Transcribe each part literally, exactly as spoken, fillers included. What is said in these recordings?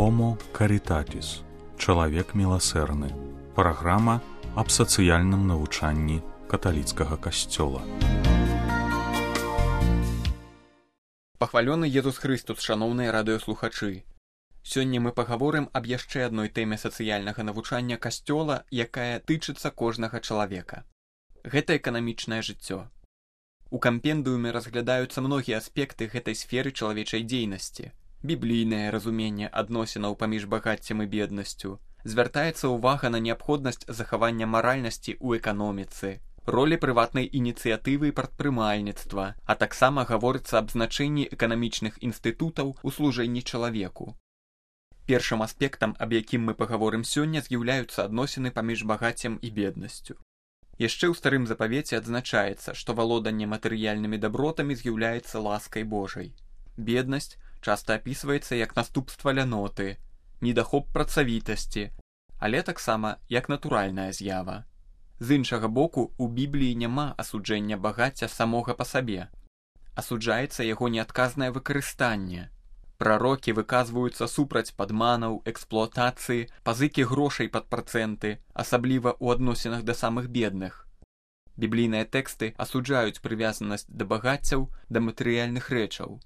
Homo Caritatis. Чалавек міласэрны. Праграма аб сацыяльным навучанні каталіцкага касцёла. Пахвалёны Езус Хрыстус, шаноўныя радыёслухачы. Сёння мы пагаворым аб яшчэ адной тэме сацыяльнага навучання касцёла, якая тычыцца кожнага чалавека. Гэта эканамічнае жыццё. У кампендыуме разглядаюцца многія аспекты гэтай сферы чалавечай дзейнасці. Біблійнае разуменне адносінаў паміж багаццем і беднасцю. Звяртаецца ўвага на неабходнасць захавання маральнасці ў эканоміцы, ролі прыватнай ініцыятывы і прадпрымальніцтва, а таксама гаворыцца аб значэнні эканамічных інстытутаў у служэнні чалавеку. Першым аспектам, аб якім мы пагаворым сёння, з'яўляюцца адносіны паміж багаццем і беднасцю. Яшчэ ў старым запавеце адзначаецца, што валоданне матэрыяльнымі дабротамі з'яўляецца ласкай Божай. Беднасць часта апісваецца як наступства ляноты, недахоп працавітасці, але таксама як натуральная з'ява. З іншага боку, у Бібліі няма асуджэння багацця самога па сабе. Асуджаецца яго неадказнае выкарыстанне. Прарокі выказваюцца супраць падманаў, эксплуатацыі, пазыкі грошай пад працэнты, асабліва ў адносінах да самых бедных. Біблійныя тэксты асуджаюць прывязанасць да багаццяў, да матэрыяльных рэчаў.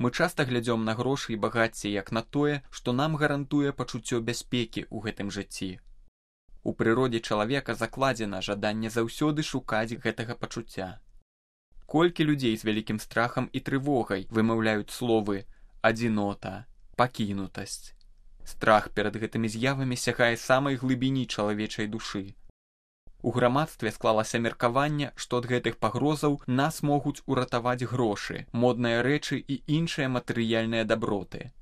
Мы часта глядзём на грошы і багацце як на тое, што нам гарантуе пачуццё бяспекі ў гэтым жыцці. У прыродзе чалавека закладзена жаданне заўсёды шукаць гэтага пачуцця. Колькі людзей з вялікім страхам і трывогай вымаўляюць словы «адзінота», «пакінутасць». Страх перад гэтымі з'явамі сягае самай глыбіні чалавечай душы. У грамадстве склалася меркаванне, што ад гэтых пагрозаў нас могуць уратаваць грошы, модныя рэчы і іншыя матэрыяльныя даброты.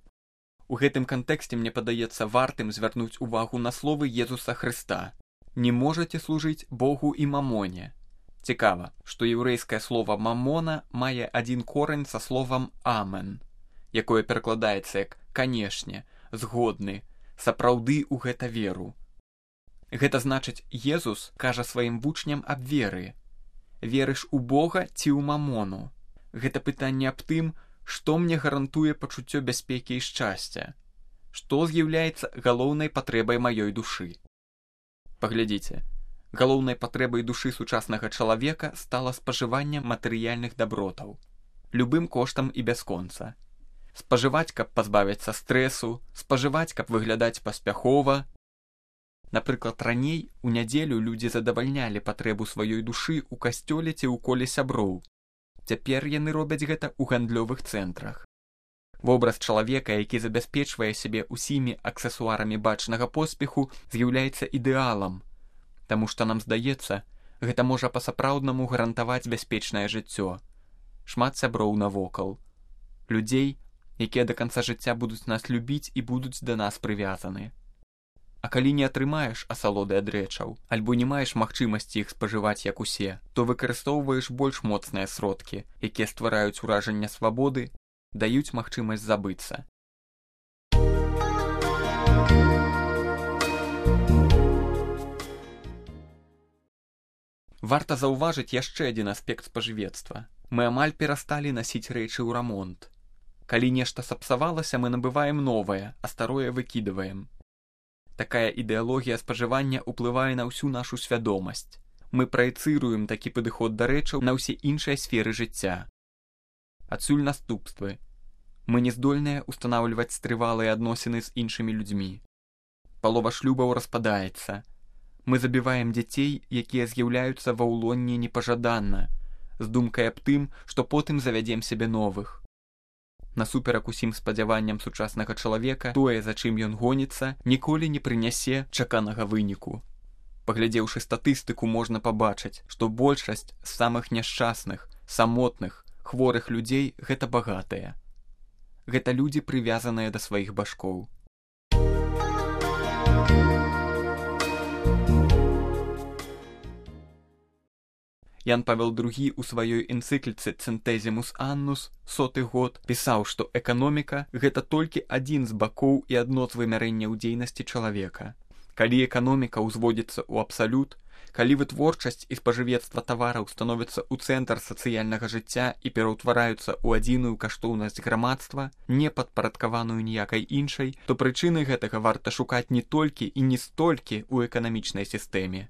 У гэтым кантэксце мне падаецца вартым звярнуць увагу на словы Езуса Хрыста. «Не можаце служыць Богу і мамоне». Цікава, што яўрэйскае слова «мамона» мае адзін корань са словам «амен», якое перакладаецца як «канешне», «згодны», «сапраўды ў гэта веру». Гэта значыць, Езус кажа сваім вучням аб веры. Верыш у Бога ці ў мамону? Гэта пытанне аб тым, што мне гарантуе пачуццё бяспекі і шчасця. Што з'яўляецца галоўнай патрэбай маёй душы? Паглядзіце, галоўнай патрэбай душы сучаснага чалавека стала спажыванне матэрыяльных дабротаў. Любым коштам і бясконца. Спажываць, каб пазбавіцца стрэсу, спажываць, каб выглядаць паспяхова. Напрыклад, раней у нядзелю людзі задавальнялі патрэбу сваёй душы ў касцёле ці ў коле сяброў. Цяпер яны робяць гэта ў гандлёвых цэнтрах. Вобраз чалавека, які забяспечвае сябе ўсімі аксесуарамі бачнага поспеху, з'яўляецца ідэалам, таму што нам здаецца, гэта можа па-сапраўднаму гарантаваць бяспечнае жыццё. Шмат сяброў навокал. Людзей, якія да канца жыцця будуць нас любіць і будуць да нас прывязаны. А калі не атрымаеш асалоды ад рэчаў, альбо не маеш магчымасці іх спажываць як усе, то выкарыстоўваеш больш моцныя сродкі, якія ствараюць уражанне свабоды, даюць магчымасць забыцца. Варта заўважыць яшчэ адзін аспект спажывецтва. Мы амаль перасталі насіць рэчы ў рамонт. Калі нешта сапсавалася, мы набываем новае, а старое выкідваем. Такая ідэалогія спажывання ўплывае на ўсю нашу свядомасць. Мы праецыруем такі падыход да рэчаў на ўсе іншыя сферы жыцця. Адсюль наступствы. Мы не здольныя ўстанаўліваць трывалыя адносіны з іншымі людзьмі. Палова шлюбаў распадаецца. Мы забіваем дзяцей, якія з'яўляюцца ва ўлонні непажаданна, з думкай аб тым, што потым завядзем сябе новых. Насуперак усім спадзяванням сучаснага чалавека, тое, за чым ён гоніцца, ніколі не прынясе чаканага выніку. Паглядзеўшы статыстыку, можна пабачыць, што большасць з самых няшчасных, самотных, хворых людзей гэта багатыя. Гэта людзі, прывязаныя да сваіх башкоў. Ян Павел другі ў сваёй энцыкліцы «Цэнтэзімус Аннус» соты год пісаў, што эканоміка – гэта толькі адзін з бакоў і адно з вымярэнняў дзейнасці чалавека. Калі эканоміка ўзводзіцца ў абсалют, Калі вытворчасць і спажывецтва тавараў становяцца ў цэнтр сацыяльнага жыцця і пераўтвараюцца ў адзіную каштоўнасць грамадства, не падпарадкаваную ніякай іншай, то прычыны гэтага варта шукаць не толькі і не столькі ў эканамічнай сістэме.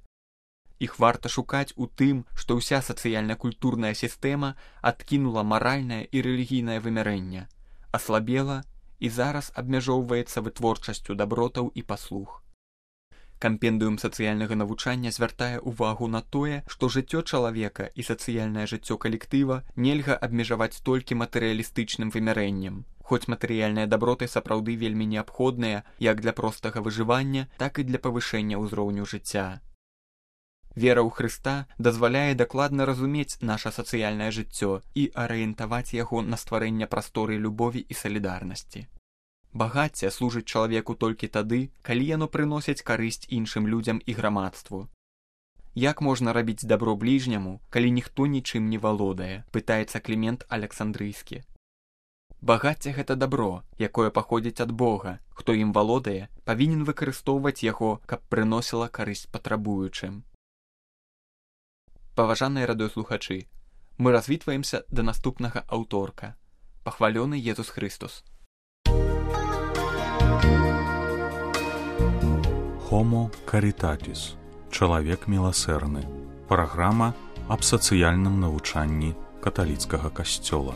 Іх варта шукаць у тым, што ўся сацыяльна-культурная сістэма адкінула маральнае і рэлігійнае вымярэнне, аслабела і зараз абмяжоўваецца вытворчасцю дабротаў і паслуг. Кампендыум сацыяльнага навучання звяртае ўвагу на тое, што жыццё чалавека і сацыяльнае жыццё калектыва нельга абмежаваць толькі матэрыялістычным вымярэннем, хоць матэрыяльныя даброты сапраўды вельмі неабходныя як для простага выжывання, так і для павышэння ўзроўню жыцця. Вера ў Хрыста дазваляе дакладна разумець наша сацыяльнае жыццё і арыентаваць яго на стварэнне прасторы любові і салідарнасці. Багацце служыць чалавеку толькі тады, калі яно прыносіць карысць іншым людзям і грамадству. Як можна рабіць дабро бліжняму, калі ніхто нічым не валодае, пытаецца Клімент Александрыйскі. Багацце гэта дабро, якое паходзіць ад Бога, хто ім валодае, павінен выкарыстоўваць яго, каб прыносіла карысць патрабуючым. Паважаныя радыёслухачы, мы развітваемся да наступнага аўторка. Пахвалёны Езус Хрыстус. Homo Caritatis. Чалавек міласэрны. Праграма аб сацыяльным навучанні каталіцкага касцёла.